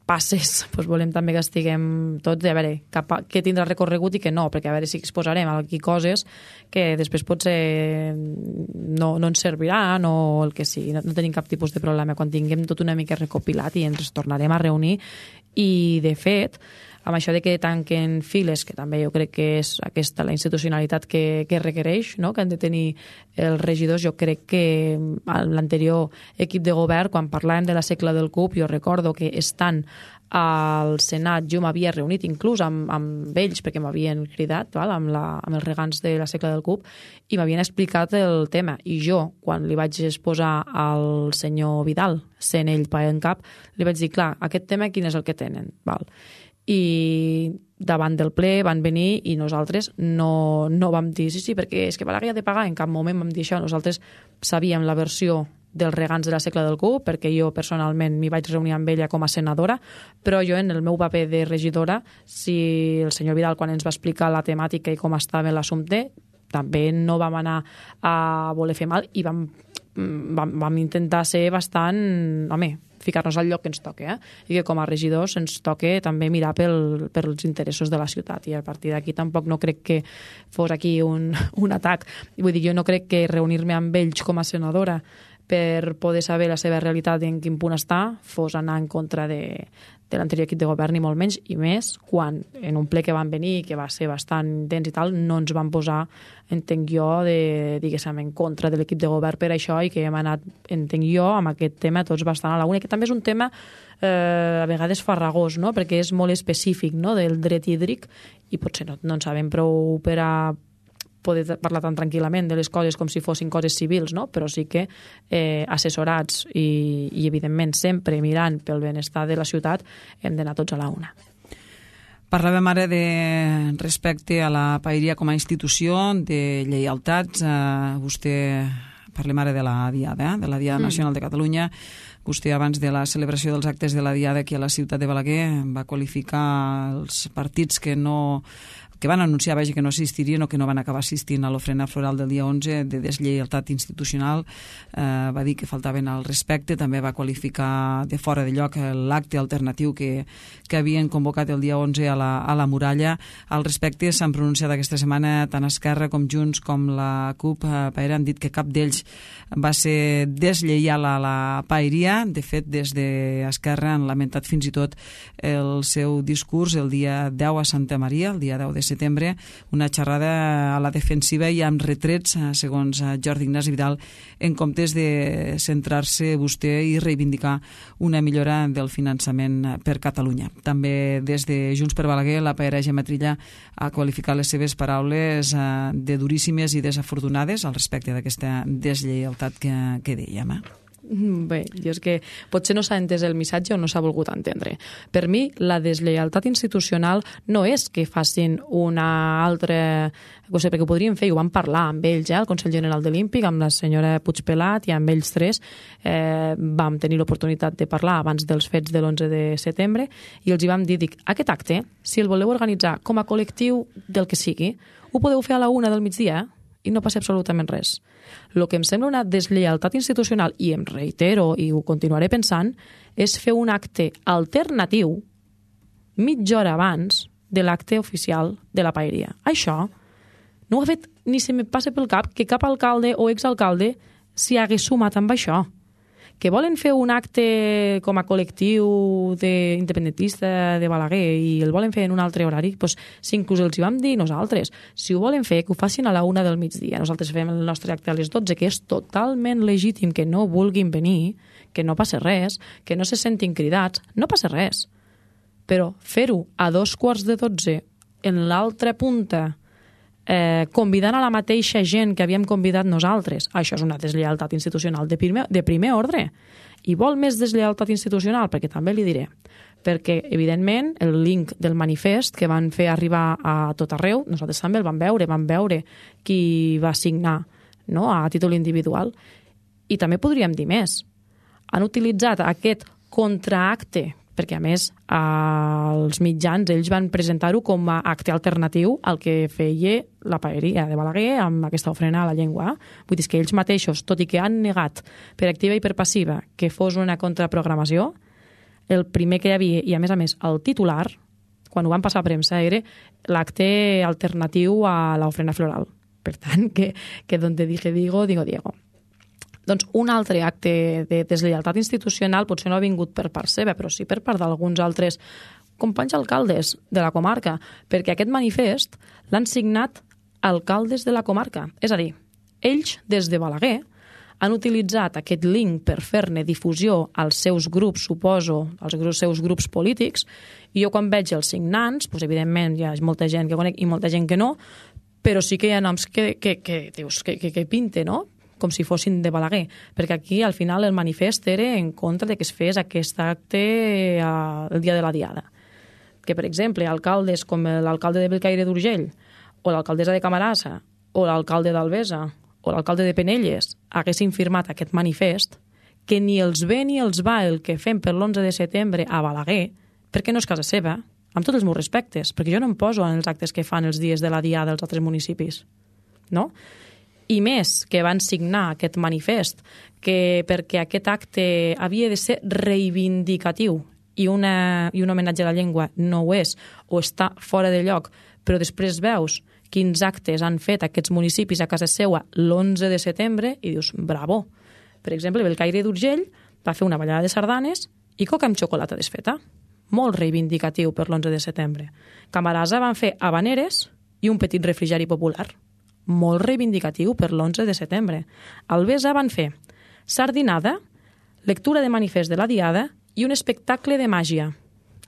passes, doncs volem també que estiguem tots, a veure, cap a, què tindrà recorregut i què no, perquè a veure si exposarem aquí coses que després potser no, no ens servirà, no el que sigui, no, no tenim cap tipus de problema quan tinguem tot una mica recopilat i ens tornarem a reunir. I de fet, amb això de que tanquen files, que també jo crec que és aquesta la institucionalitat que, que requereix, no? Que han de tenir els regidors, jo crec que l'anterior equip de govern, quan parlàvem de la segle del C U P, jo recordo que estant al Senat jo m'havia reunit inclús amb, amb ells, perquè m'havien cridat, val? Amb, la, amb els regants de la segle del C U P, i m'havien explicat el tema. I jo, quan li vaig exposar al senyor Vidal, sent ell pa en cap, li vaig dir, clar, aquest tema quin és el que tenen? Val? I davant del ple van venir i nosaltres no, no vam dir sí, sí, perquè és que Balaguer ha de pagar, en cap moment vam dir això. Nosaltres sabíem la versió dels regants de la segle del C U P, perquè jo personalment m'hi vaig reunir amb ella com a senadora, però jo en el meu paper de regidora, si el senyor Vidal quan ens va explicar la temàtica i com estava l'assumpte, també no vam anar a voler fer mal i vam, vam, vam intentar ser bastant, home, ficar-nos al lloc que ens toca, eh? I que com a regidors ens toca també mirar pel, pels interessos de la ciutat, i a partir d'aquí tampoc no crec que fos aquí un, un atac. Vull dir, jo no crec que reunir-me amb ells com a senadora per poder saber la seva realitat i en quin punt està fos anar en contra de, de l'anterior equip de govern, ni molt menys, i més quan en un ple que van venir, que va ser bastant intens i tal, no ens van posar, entenc jo, de, diguéssim, en contra de l'equip de govern per això, i que hem anat, entenc jo, amb aquest tema tots bastant a la una, que també és un tema eh, a vegades farragós, no? Perquè és molt específic, no?, del dret hídric, i potser no, no en sabem prou per a poder parlar tan tranquil·lament de les coses com si fossin coses civils, no? Però sí que eh, assessorats i, i, evidentment, sempre mirant pel benestar de la ciutat, hem d'anar tots a la una. Parlàvem ara de respecte a la paeria com a institució, de lleialtats. Eh, vostè, parlem ara de la Diada, eh? de la Diada mm. Nacional de Catalunya. Vostè, abans de la celebració dels actes de la Diada aquí a la ciutat de Balaguer, va qualificar els partits que no... que van anunciar vaja, que no assistirien o que no van acabar assistint a l'ofrena floral del dia onze de deslleialtat institucional. Eh, va dir que faltaven al respecte, també va qualificar de fora de lloc l'acte alternatiu que, que havien convocat el dia onze a la, a la muralla. Al respecte s'han pronunciat aquesta setmana tant Esquerra com Junts com la C U P. Eh, han dit que cap d'ells va ser deslleial a la paeria. De fet, des d'Esquerra han lamentat fins i tot el seu discurs el dia deu a Santa Maria, el dia deu de setembre, una xerrada a la defensiva i amb retrets, segons Jordi Ignasi Vidal, en comptes de centrar-se vostè i reivindicar una millora del finançament per Catalunya. També des de Junts per Balaguer, la paera Gemma Trilla ha qualificat les seves paraules de duríssimes i desafortunades al respecte d'aquesta deslleialtat que, que dèiem. Eh? Bé, jo és que potser no s'ha entès el missatge o no s'ha volgut entendre. Per mi, la deslleialtat institucional no és que facin una altra cosa, perquè ho podríem fer, i ho vam parlar amb ells, eh, el Consell General de l'Olímpic, amb la senyora Puigpelat i amb ells tres, eh, vam tenir l'oportunitat de parlar abans dels fets de l'onze de setembre, i els hi vam dir, dic, aquest acte, si el voleu organitzar com a col·lectiu del que sigui, ho podeu fer a la una del migdia, i no passa absolutament res. El que em sembla una deslleialtat institucional, i em reitero i ho continuaré pensant, és fer un acte alternatiu mitja hora abans de l'acte oficial de la paeria. Això no ho ha fet ni se me passa pel cap que cap alcalde o exalcalde s'hi hagués sumat amb això. Que volen fer un acte com a col·lectiu independentista de Balaguer i el volen fer en un altre horari, doncs si inclús els hi vam dir nosaltres, si ho volen fer, que ho facin a la una del migdia. Nosaltres fem el nostre acte a les dotze, que és totalment legítim que no vulguin venir, que no passa res, que no se sentin cridats, no passa res. Però fer-ho a dos quarts de dotze en l'altra punta, Eh, convidant a la mateixa gent que havíem convidat nosaltres, això és una deslleialtat institucional de primer, de primer ordre. I vol més deslleialtat institucional? Perquè també li diré. Perquè, evidentment, el link del manifest que van fer arribar a tot arreu, nosaltres també el vam veure, vam veure qui va signar, no?, a títol individual. I també podríem dir més. Han utilitzat aquest contraacte, perquè a més els mitjans ells van presentar-ho com a acte alternatiu al que feia la paeria de Balaguer amb aquesta ofrena a la llengua. Vull dir que ells mateixos, tot i que han negat per activa i per passiva que fos una contraprogramació, el primer que hi havia, i a més a més el titular, quan ho van passar a premsa, era l'acte alternatiu a l'ofrena floral. Per tant, que, que donde dije digo, digo Diego. Doncs un altre acte de deslleialtat institucional potser no ha vingut per part seva, però sí per part d'alguns altres companys alcaldes de la comarca, perquè aquest manifest l'han signat alcaldes de la comarca. És a dir, ells, des de Balaguer, han utilitzat aquest link per fer-ne difusió als seus grups, suposo, als seus grups polítics, i jo quan veig els signants, doncs evidentment hi ha molta gent que conec i molta gent que no, però sí que hi ha noms que, que, que, dius, que, que, que pinte, no?, com si fossin de Balaguer, perquè aquí al final el manifest era en contra de que es fes aquest acte el dia de la Diada. Que, per exemple, alcaldes com l'alcalde de Bellcaire d'Urgell, o l'alcaldessa de Camarasa, o l'alcalde d'Albesa, o l'alcalde de Penelles, haguessin firmat aquest manifest, que ni els ve ni els va el que fem per l'onze de setembre a Balaguer, perquè no és casa seva, amb tots els meus respectes, perquè jo no em poso en els actes que fan els dies de la Diada dels altres municipis, no?, i més que van signar aquest manifest, que perquè aquest acte havia de ser reivindicatiu i, una, i un homenatge a la llengua no ho és, o està fora de lloc, però després veus quins actes han fet aquests municipis a casa seua l'onze de setembre i dius, bravo. Per exemple, Bellcaire d'Urgell va fer una ballada de sardanes i coca amb xocolata desfeta. Molt reivindicatiu per l'onze de setembre. Camarasa van fer habaneres i un petit refrigeri popular. Molt reivindicatiu per l'onze de setembre. Albesa van fer sardinada, lectura de manifest de la Diada i un espectacle de màgia.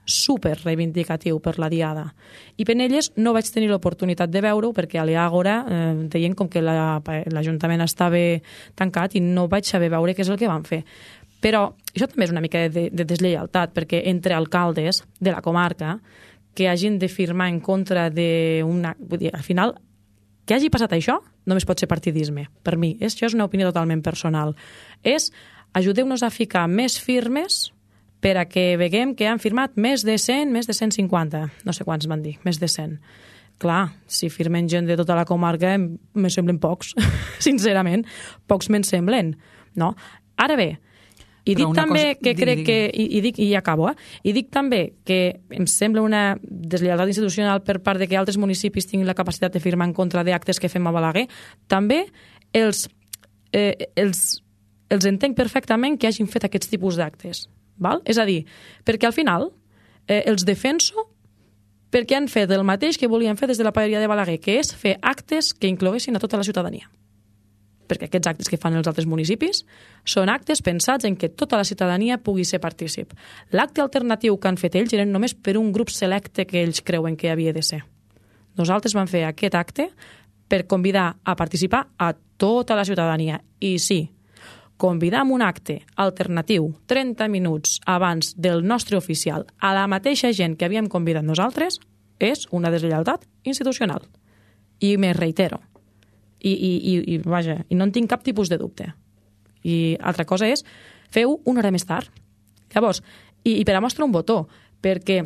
Super reivindicatiu per la Diada. I Penelles no vaig tenir l'oportunitat de veure-ho perquè a l'Àgora eh, deien com que l'Ajuntament estava tancat i no vaig saber veure què és el que van fer. Però això també és una mica de, de deslleialtat, perquè entre alcaldes de la comarca que hagin de firmar en contra d'una... Vull dir, al final, que hagi passat això només pot ser partidisme. Per mi, és, això és una opinió totalment personal. És, ajudeu-nos a ficar més firmes per a que veguem que han firmat més de cent, més de cent cinquanta. No sé quants van dir, més de cent. Clar, si firmen gent de tota la comarca, me semblen pocs, sincerament. Pocs me'n semblen, no? Ara bé, i dic també cosa... que crec digui, digui. que, i, i dic, i ja acabo, eh? I dic també que em sembla una deslleialtat institucional per part de que altres municipis tinguin la capacitat de firmar en contra d'actes que fem a Balaguer. També els, eh, els, els entenc perfectament que hagin fet aquests tipus d'actes. Val? És a dir, perquè al final eh, els defenso perquè han fet el mateix que volien fer des de la paeria de Balaguer, que és fer actes que incloguessin a tota la ciutadania. Perquè aquests actes que fan els altres municipis són actes pensats en que tota la ciutadania pugui ser partícip. L'acte alternatiu que han fet ells eren només per un grup selecte que ells creuen que havia de ser. Nosaltres vam fer aquest acte per convidar a participar a tota la ciutadania. I sí, convidar amb un acte alternatiu trenta minuts abans del nostre oficial a la mateixa gent que havíem convidat nosaltres és una deslleialtat institucional. I me reitero. I, i, i, i, vaja, i no en tinc cap tipus de dubte. I altra cosa és, feu una hora més tard. Llavors, i, i per a mostra un botó, perquè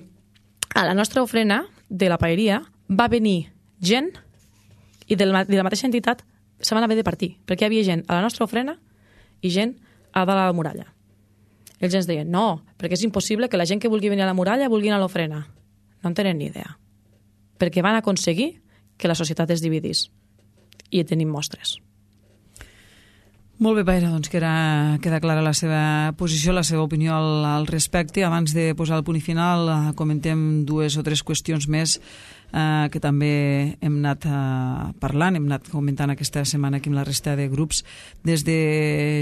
a la nostra ofrena de la paeria va venir gent i de la, de la mateixa entitat se van haver de partir, perquè hi havia gent a la nostra ofrena i gent a dalt a la muralla. Ells ens deien, no, perquè és impossible que la gent que vulgui venir a la muralla vulgui anar a l'ofrena. No en tenen ni idea. Perquè van aconseguir que la societat es dividís. I tenim mostres. Molt bé, Paera, doncs queda, queda clara la seva posició, la seva opinió al, al respecte. Abans de posar el punt final, eh, comentem dues o tres qüestions més eh, que també hem anat eh, parlant, hem anat comentant aquesta setmana aquí amb la resta de grups. Des de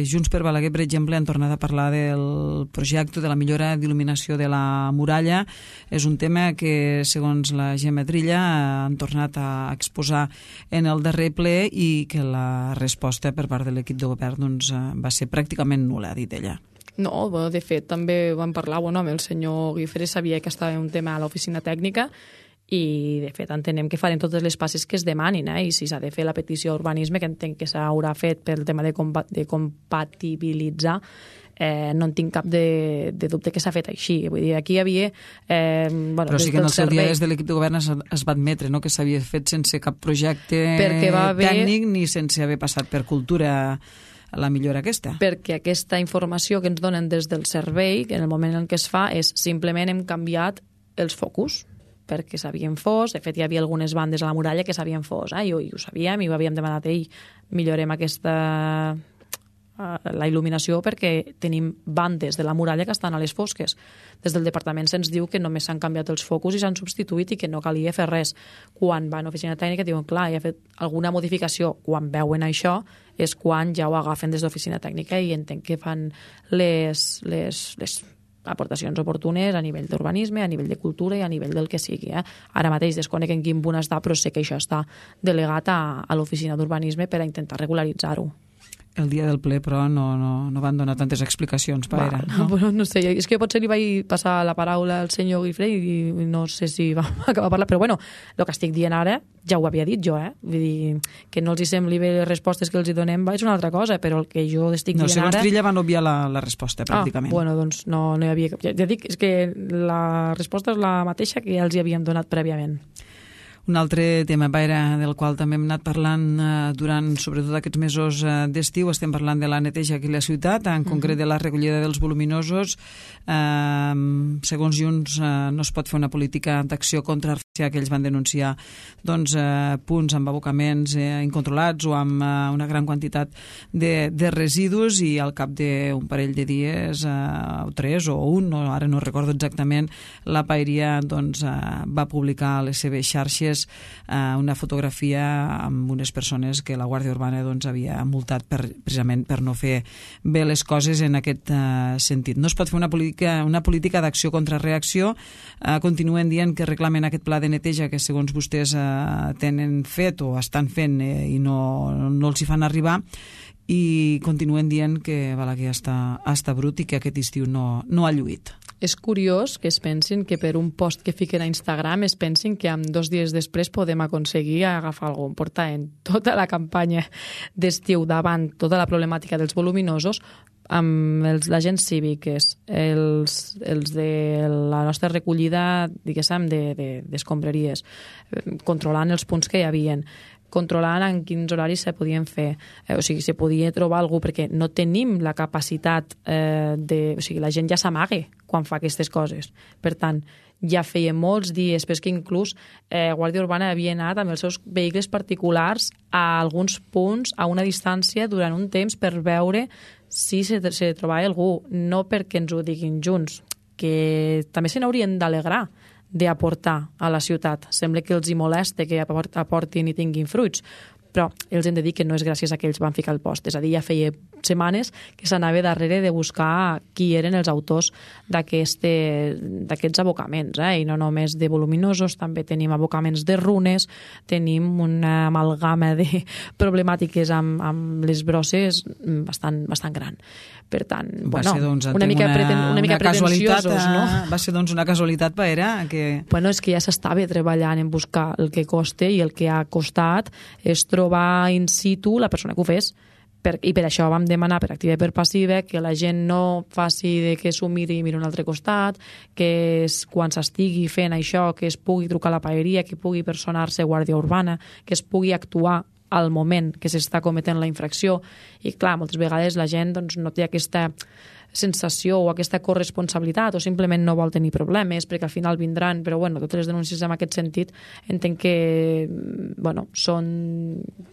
Junts per Balaguer, per exemple, han tornat a parlar del projecte de la millora d'il·luminació de la muralla. És un tema que, segons la Gemma Trilla, han tornat a exposar en el darrer ple i que la resposta per part de l'equip de govern doncs, va ser pràcticament nul·la, ha dit ella. No, bueno, de fet, també vam parlar bueno, amb el senyor Guifré, sabia que estava un tema a l'oficina tècnica i, de fet, entenem que farem totes les passes que es demanin, eh? I si s'ha de fer la petició d'urbanisme, que entenc que s'haurà fet pel tema de, compa de compatibilitzar, eh, no en tinc cap de, de dubte que s'ha fet així. Vull dir, aquí hi havia... Eh, bueno, Però sí que en el seu servei... dia des de l'equip de govern es, es va admetre no? Que s'havia fet sense cap projecte haver... tècnic ni sense haver passat per cultura la millora aquesta. Perquè aquesta informació que ens donen des del servei, que en el moment en què es fa, és simplement hem canviat els focus, perquè s'havien fos, de fet hi havia algunes bandes a la muralla que s'havien fos, eh? I, ho, i ho sabíem, i ho havíem demanat a ell, millorem aquesta la il·luminació perquè tenim bandes de la muralla que estan a les fosques. Des del departament se'ns diu que només s'han canviat els focus i s'han substituït i que no calia fer res. Quan van a oficina tècnica diuen, clar, hi ha fet alguna modificació. Quan veuen això és quan ja ho agafen des d'oficina tècnica i entenc que fan les, les, les aportacions oportunes a nivell d'urbanisme, a nivell de cultura i a nivell del que sigui. Eh? Ara mateix desconec en quin punt està, però sé que això està delegat a, a l'oficina d'urbanisme per a intentar regularitzar-ho. El dia del ple, però, no, no, no van donar tantes explicacions, Paera. No? No, no sé, és que potser li vaig passar la paraula al senyor Guifré i no sé si va acabar a parlar, però bueno, el que estic dient ara ja ho havia dit jo, eh? Vull dir, que no els hi sembli bé les respostes que els hi donem és una altra cosa, però el que jo estic no, dient segons ara... No, segons Trilla van obviar la, la resposta, pràcticament. Ah, bueno, doncs no, no hi havia... Ja, ja dic, és que la resposta és la mateixa que ja els hi havíem donat prèviament. Un altre tema, Paera, del qual també hem anat parlant eh, durant, sobretot aquests mesos eh, d'estiu, estem parlant de la neteja aquí a la ciutat, en uh-huh. concret de la recollida dels voluminosos. Eh, segons Junts, eh, no es pot fer una política d'acció contra que ells van denunciar doncs, eh, punts amb abocaments eh, incontrolats o amb eh, una gran quantitat de, de residus i al cap d'un parell de dies, eh, o tres o un, no, ara no recordo exactament, la Paeria doncs, eh, va publicar a les seves xarxes eh, una fotografia amb unes persones que la Guàrdia Urbana doncs, havia multat per, precisament per no fer bé les coses en aquest eh, sentit. No es pot fer una política, una política d'acció contra reacció. Eh, continuen dient que reclamen aquest pla de neteja que segons vostès eh, tenen fet o estan fent eh, i no, no els hi fan arribar, i continuen dient que Balaguer està, està brut i que aquest estiu no, no ha lluït. És curiós que es pensin que per un post que fiquen a Instagram es pensin que amb dos dies després podem aconseguir agafar algun. Portar en tota la campanya d'estiu davant tota la problemàtica dels voluminosos amb els agents cívics, els, els de la nostra recollida, diguéssim, d'escombraries, de, de, controlant els punts que hi havien, controlant en quins horaris se podien fer, eh, o sigui, se podia trobar algú, perquè no tenim la capacitat eh, de... O sigui, la gent ja s'amague quan fa aquestes coses. Per tant, ja feia molts dies, però és que inclús eh, Guàrdia Urbana havia anat amb els seus vehicles particulars a alguns punts a una distància durant un temps per veure si se, se trobava algú, no perquè ens ho diguin junts, que també se n'haurien d'alegrar d'aportar a la ciutat. Sembla que els hi molesta que aportin i tinguin fruits, però els hem de dir que no és gràcies a que ells van ficar el post. És a dir, ja feia setmanes que s'anava darrere de buscar qui eren els autors d'aquests abocaments, eh? I no només de voluminosos, també tenim abocaments de runes, tenim una amalgama de problemàtiques amb, amb les brosses bastant, bastant gran. Per tant, va bueno, ser, doncs, una mica, una, preten, una mica una pretensiosos, no? Va ser, doncs, una casualitat, Paera, que... Bueno, és que ja s'estava treballant en buscar el que costa i el que ha costat és trobar in situ la persona que ho fes. Per, I per això vam demanar per activa i per passiva que la gent no faci de que s'ho miri i miri un altre costat, que es, quan s'estigui fent això, que es pugui trucar a la paeria, que pugui personar-se Guàrdia Urbana, que es pugui actuar al moment que s'està cometent la infracció. I clar, moltes vegades la gent doncs, no té aquesta sensació o aquesta corresponsabilitat o simplement no vol tenir problemes perquè al final vindran, però bueno, totes les denúncies en aquest sentit entenc que bueno, són,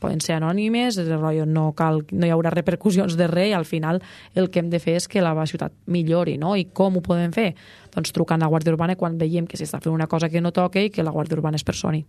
poden ser anònimes, no, cal, no hi haurà repercussions de res i al final el que hem de fer és que la ciutat millori, no? I com ho podem fer? Doncs trucant a la Guàrdia Urbana quan veiem que s'està fent una cosa que no toca i que la Guàrdia Urbana es personi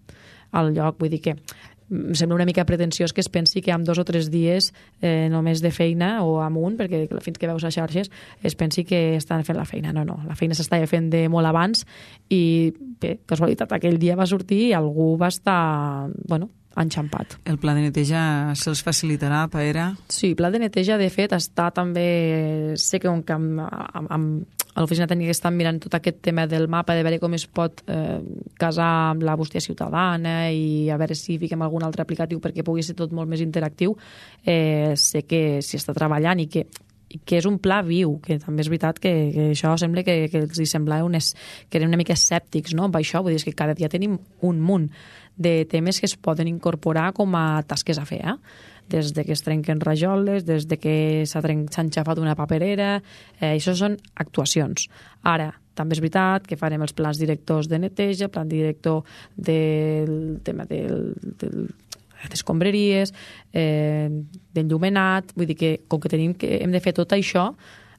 al lloc. Vull dir que em sembla una mica pretensiós que es pensi que amb dos o tres dies eh, només de feina o amb un, perquè fins que veus a xarxes es pensi que estan fent la feina. No, no, la feina s'estava fent de molt abans i bé, casualitat, aquell dia va sortir i algú va estar, bueno, enxampat. El pla de neteja se'ls facilitarà, Paera? Sí, el pla de neteja, de fet, està també... Sé que un camp, amb, amb, a l'oficina tècnica estan mirant tot aquest tema del mapa, de veure com es pot eh, casar amb la bústia ciutadana i a veure si fiquem algun altre aplicatiu perquè pugui ser tot molt més interactiu. Eh, sé que s'hi està treballant i que que és un pla viu, que també és veritat que, que això sembla que, que els semblava unes, que eren una mica escèptics, no?, amb això. Vull dir, és que cada dia tenim un munt de temes que es poden incorporar com a tasques a fer, eh? Des de que es trenquen rajoles, des de que s'ha enxafat una paperera, eh, això són actuacions. Ara, també és veritat que farem els plans directors de neteja, plan director del tema del, del d'escombraries, eh, d'enllumenat, vull dir que com que tenim que hem de fer tot això,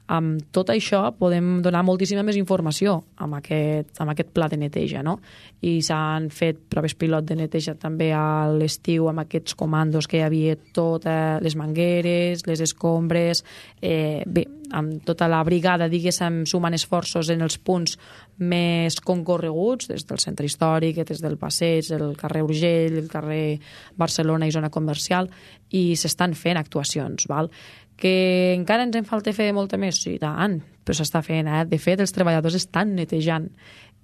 amb tot això podem donar moltíssima més informació amb aquest, amb aquest pla de neteja, no? I s'han fet proves pilot de neteja també a l'estiu amb aquests comandos que hi havia totes les mangueres, les escombres, eh, bé, amb tota la brigada, diguéssim, sumant esforços en els punts més concorreguts, des del centre històric, des del passeig, el carrer Urgell, el carrer Barcelona i zona comercial, i s'estan fent actuacions, val? Que encara ens en falta fer molta més? Sí, tant, però s'està fent, eh? De fet, els treballadors estan netejant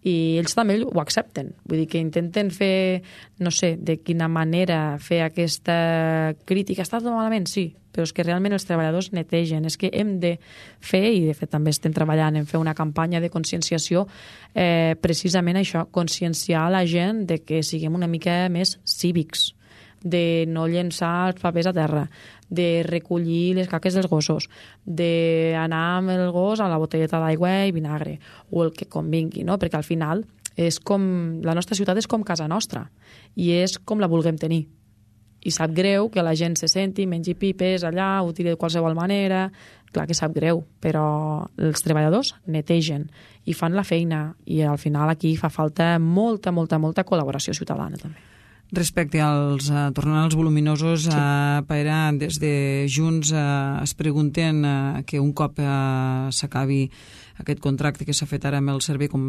i ells també ho accepten. Vull dir que intenten fer, no sé, de quina manera fer aquesta crítica. Està tot malament? Sí, però és que realment els treballadors netegen. És que hem de fer, i de fet també estem treballant en fer una campanya de conscienciació, eh, precisament això, conscienciar la gent de que siguem una mica més cívics, de no llençar els papers a terra, de recollir les caques dels gossos, d'anar amb el gos a la botelleta d'aigua i vinagre, o el que convingui, no? Perquè al final és com, la nostra ciutat és com casa nostra i és com la vulguem tenir. I sap greu que la gent se senti, mengi pipes allà, ho tiri de qualsevol manera, clar que sap greu, però els treballadors netegen i fan la feina i al final aquí fa falta molta, molta, molta col·laboració ciutadana també. Respecte als, uh, tornant als voluminosos, sí. uh, Paera, des de Junts uh, es pregunten uh, que un cop uh, s'acabi aquest contracte que s'ha fet ara amb el servei, com,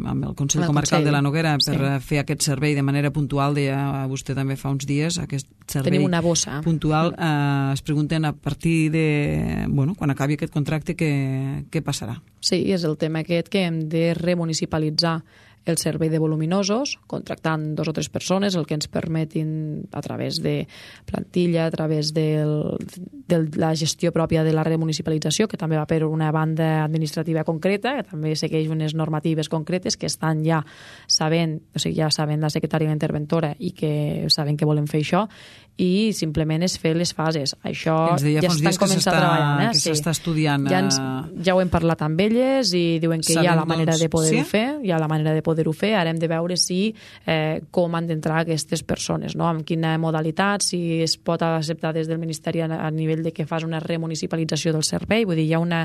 amb el Consell el Comarcal Consell. de la Noguera per sí. fer aquest servei de manera puntual, deia vostè també fa uns dies, aquest servei Tenim una bossa. puntual, uh, es pregunten a partir de, bueno, quan acabi aquest contracte, què, què passarà? Sí, és el tema aquest que hem de remunicipalitzar el servei de voluminosos, contractant dos o tres persones, el que ens permetin a través de plantilla, a través del, de la gestió pròpia de la remunicipalització, que també va per una banda administrativa concreta, que també segueix unes normatives concretes que estan ja sabent, o sigui, ja saben la secretària interventora i que saben que volem fer això, i simplement és fer les fases. Això ja estan començant a treballar. Eh? Que s'està sí. estudiant. Ja, ens, ja ho hem parlat amb elles i diuen que Sabem, hi ha la manera doncs, de poder-ho sí? fer, hi ha la manera de poder-ho fer, ara hem de veure si eh, com han d'entrar aquestes persones, no? Amb quina modalitat, si es pot acceptar des del Ministeri a, a nivell de que fas una remunicipalització del servei, vull dir, hi ha una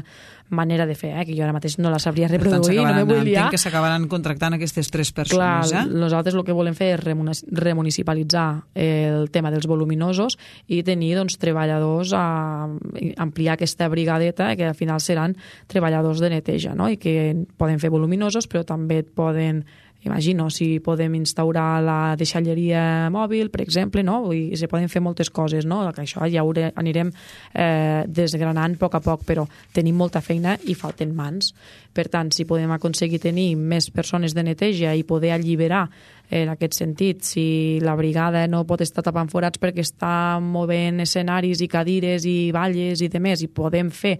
manera de fer, eh, que jo ara mateix no la sabria reproduir, no me vull liar. Entenc que s'acabaran contractant aquestes tres persones. Clar, eh? Nosaltres el que volem fer és remunicipalitzar el tema dels voluminosos i tenir doncs, treballadors a ampliar aquesta brigadeta que al final seran treballadors de neteja, no? I que poden fer voluminosos però també poden, imagino, si podem instaurar la deixalleria mòbil, per exemple, no? I se poden fer moltes coses, no? Que això ja ho anirem eh, desgranant a poc a poc, però tenim molta feina i falten mans. Per tant, si podem aconseguir tenir més persones de neteja i poder alliberar en aquest sentit, si la brigada no pot estar tapant forats perquè està movent escenaris i cadires i balles i demés, i podem fer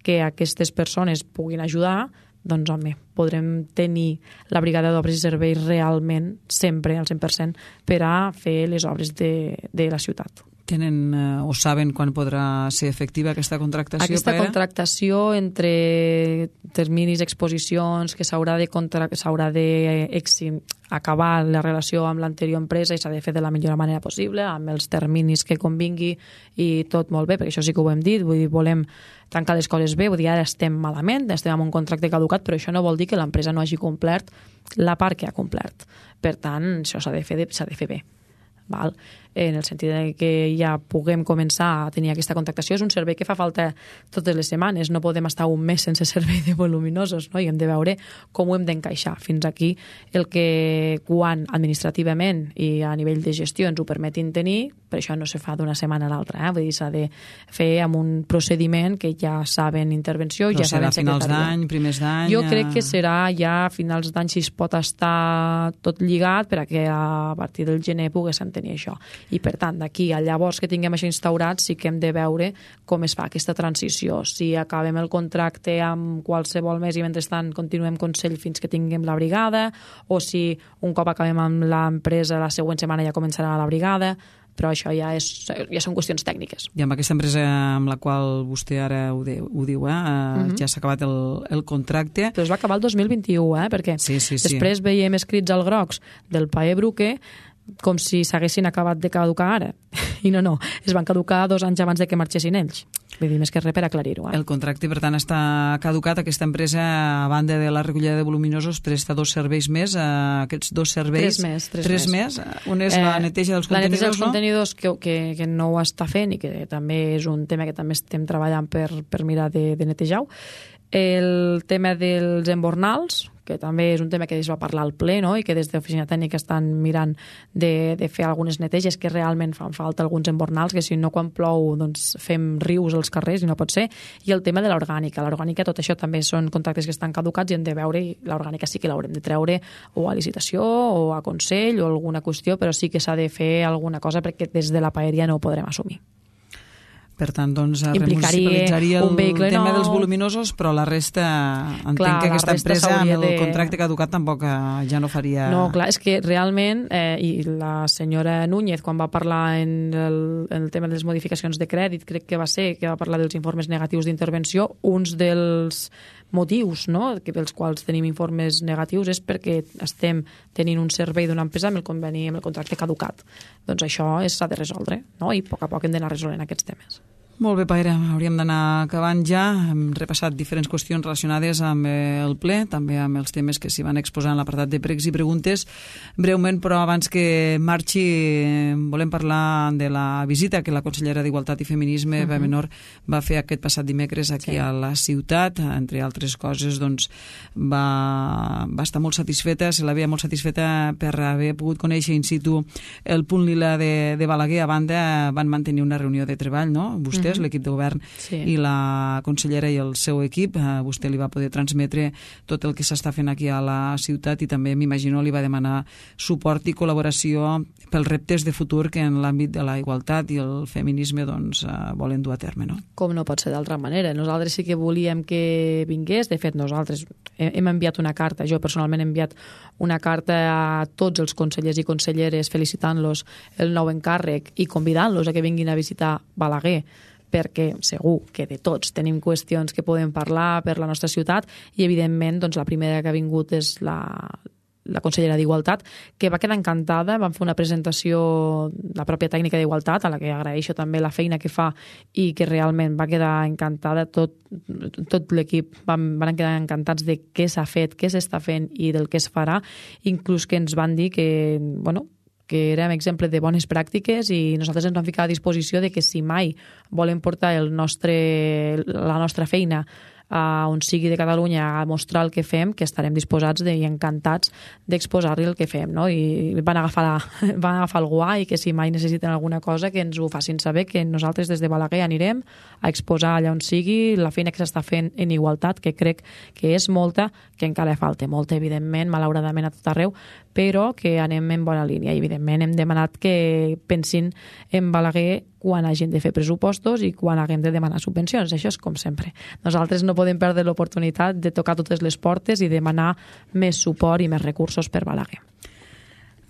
que aquestes persones puguin ajudar, doncs, home, podrem tenir la brigada d'obres i serveis realment sempre al cent per cent per a fer les obres de, de la ciutat. Tenen eh, o saben quan podrà ser efectiva aquesta contractació? Aquesta Pere? contractació entre terminis, exposicions, que s'haurà de, contra... s'haurà de exim... acabar la relació amb l'anterior empresa i s'ha de fer de la millor manera possible, amb els terminis que convingui i tot molt bé, perquè això sí que ho hem dit, vull dir, volem tancar les coses bé, vull dir, ara estem malament, estem amb un contracte caducat, però això no vol dir que l'empresa no hagi complert la part que ha complert. Per tant, això s'ha de fer, s'ha de fer bé. Val? En el sentit de que ja puguem començar a tenir aquesta contractació. És un servei que fa falta totes les setmanes, no podem estar un mes sense servei de voluminosos, no? I hem de veure com ho hem d'encaixar. Fins aquí el que quan administrativament i a nivell de gestió ens ho permetin tenir, per això no se fa d'una setmana a l'altra, eh? Vull dir, s'ha de fer amb un procediment que ja saben intervenció, però ja saben secretaria. Però serà finals d'any, primers d'any? Jo crec que serà ja a finals d'any si es pot estar tot lligat perquè a partir del gener poguessin tenir això. I per tant, d'aquí a llavors que tinguem això instaurat sí que hem de veure com es fa aquesta transició. Si acabem el contracte amb qualsevol mes i mentrestant continuem Consell fins que tinguem la brigada, o si un cop acabem amb l'empresa la següent setmana ja començarà la brigada, però això ja, és, ja són qüestions tècniques. I amb aquesta empresa amb la qual vostè ara ho, de, ho diu, eh? Uh-huh. Ja s'ha acabat el, el contracte. Però es va acabar el dos mil vint-i-u, eh? Perquè sí, sí, sí. després veiem escrits al grocs del Pae Bruque com si s'haguessin acabat de caducar ara. I no, no, es van caducar dos anys abans de que marxessin ells. Vull dir, més que res per aclarir-ho. Eh? El contracte, per tant, està caducat. Aquesta empresa, a banda de la recollida de voluminosos, presta dos serveis més. Eh, aquests dos serveis... Tres més. Tres, tres més. més. Un és eh, la neteja dels la contenidors, neteja dels no? contenidors que, que, que no ho està fent i que també és un tema que també estem treballant per, per mirar de, de netejar-ho. El tema dels embornals, que també és un tema que es va parlar al ple, no? I que des de l'oficina tècnica estan mirant de, de fer algunes neteges que realment fan falta alguns embornals, que si no quan plou doncs fem rius als carrers i no pot ser. I el tema de l'orgànica. L'orgànica, tot això també són contractes que estan caducats i hem de veure, i l'orgànica sí que l'haurem de treure o a licitació o a Consell o alguna qüestió, però sí que s'ha de fer alguna cosa perquè des de la paeria no ho podrem assumir. Per tant, doncs, remunicipalitzaria el tema nou. Dels voluminosos, però la resta, entenc clar, que aquesta empresa amb el de... contracte caducat tampoc ja no faria... No, clar, és que realment, eh, i la senyora Núñez, quan va parlar en el, en el tema de les modificacions de crèdit, crec que va ser, que va parlar dels informes negatius d'intervenció, uns dels motius, no?, que pels quals tenim informes negatius és perquè estem tenint un servei d'una empresa amb el conveni, amb el contracte caducat. Doncs això s'ha de resoldre, no?, i a poc a poc hem d'anar resolent aquests temes. Molt bé, Paire, hauríem d'anar acabant ja. Hem repassat diferents qüestions relacionades amb el ple, també amb els temes que s'hi van exposar en l'apartat de pregs i preguntes. Breument, però abans que marxi, volem parlar de la visita que la consellera d'Igualtat i Feminisme, uh-huh. Bea Menor, va fer aquest passat dimecres aquí sí. a la ciutat. Entre altres coses, doncs, va, va estar molt satisfeta, se la veia molt satisfeta per haver pogut conèixer in situ el punt lila de, de Balaguer. A banda, van mantenir una reunió de treball, no? Vostè uh-huh. l'equip de govern sí. i la consellera i el seu equip, a vostè li va poder transmetre tot el que s'està fent aquí a la ciutat i també, m'imagino, li va demanar suport i col·laboració pels reptes de futur que en l'àmbit de la igualtat i el feminisme doncs, volen dur a terme, no? Com no pot ser d'altra manera. Nosaltres sí que volíem que vingués. De fet, nosaltres hem enviat una carta, jo personalment he enviat una carta a tots els consellers i conselleres felicitant-los el nou encàrrec i convidant-los a que vinguin a visitar Balaguer, perquè segur que de tots tenim qüestions que podem parlar per la nostra ciutat i, evidentment, doncs, la primera que ha vingut és la, la consellera d'Igualtat, que va quedar encantada. Vam fer una presentació, la pròpia tècnica d'Igualtat, a la que agraeixo també la feina que fa i que realment va quedar encantada. Tot, tot l'equip van, van quedar encantats de què s'ha fet, què s'està fent i del que es farà, inclús que ens van dir que, bueno, que érem exemple de bones pràctiques i nosaltres ens vam ficar a disposició de que si mai volen portar el nostre, la nostra feina a on sigui de Catalunya a mostrar el que fem, que estarem disposats i encantats d'exposar-li el que fem, no? I van agafar, la, van agafar el guai i que si mai necessiten alguna cosa que ens ho facin saber, que nosaltres des de Balaguer anirem a exposar allà on sigui la feina que s'està fent en igualtat, que crec que és molta, que encara falta molta, evidentment, malauradament a tot arreu, però que anem en bona línia i, evidentment, hem demanat que pensin en Balaguer quan hagin de fer pressupostos i quan haguem de demanar subvencions. Això és com sempre. Nosaltres no podem perdre l'oportunitat de tocar totes les portes i demanar més suport i més recursos per Balaguer.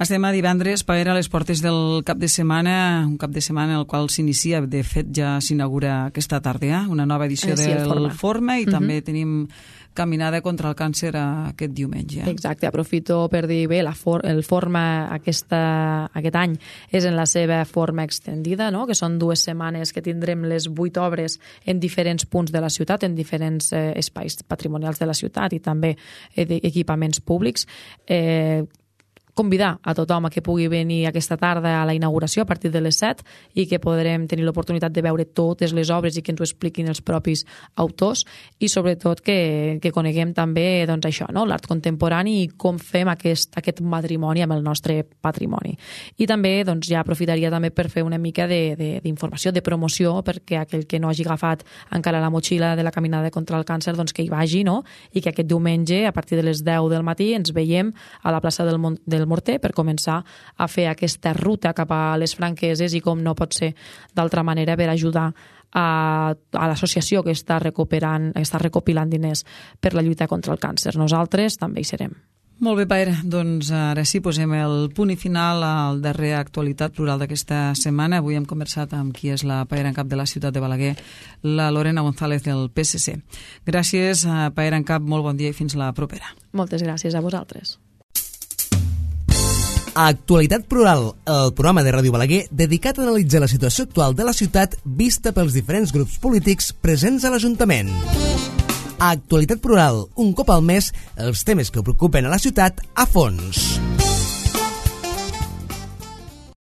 Estem a divendres per a les portes del cap de setmana, un cap de setmana en el qual s'inicia, de fet ja s'inaugura aquesta tarda, una nova edició eh, sí, del Forma, Forma i uh-huh. també tenim caminada contra el càncer aquest diumenge. Exacte, aprofito per dir bé, la for el Forma aquesta, aquest any és en la seva forma extendida, no? Que són dues setmanes que tindrem les vuit obres en diferents punts de la ciutat, en diferents eh, espais patrimonials de la ciutat i també eh, equipaments públics. Eh, convidar a tothom a que pugui venir aquesta tarda a la inauguració a partir de les set i que podrem tenir l'oportunitat de veure totes les obres i que ens ho expliquin els propis autors i sobretot que, que coneguem també doncs, això, no? L'art contemporani i com fem aquest, aquest matrimoni amb el nostre patrimoni. I també doncs, ja aprofitaria també per fer una mica d'informació, de, de, de promoció, perquè aquell que no hagi agafat encara la motxilla de la caminada contra el càncer doncs que hi vagi, no? I que aquest diumenge a partir de les deu del matí ens veiem a la plaça del, Mont del Morter per començar a fer aquesta ruta cap a les Franqueses i com no pot ser d'altra manera per ajudar a, a l'associació que està recuperant, està recopilant diners per la lluita contra el càncer. Nosaltres també hi serem. Molt bé, Paera. Doncs ara sí, posem el punt i final al darrer Actualitat Plural d'aquesta setmana. Avui hem conversat amb qui és la Paera en cap de la ciutat de Balaguer, la Lorena González del P S C. Gràcies, Paera en cap, molt bon dia i fins la propera. Moltes gràcies a vosaltres. Actualitat Plural, el programa de Ràdio Balaguer dedicat a analitzar la situació actual de la ciutat vista pels diferents grups polítics presents a l'Ajuntament. Actualitat Plural, un cop al mes, els temes que preocupen a la ciutat a fons.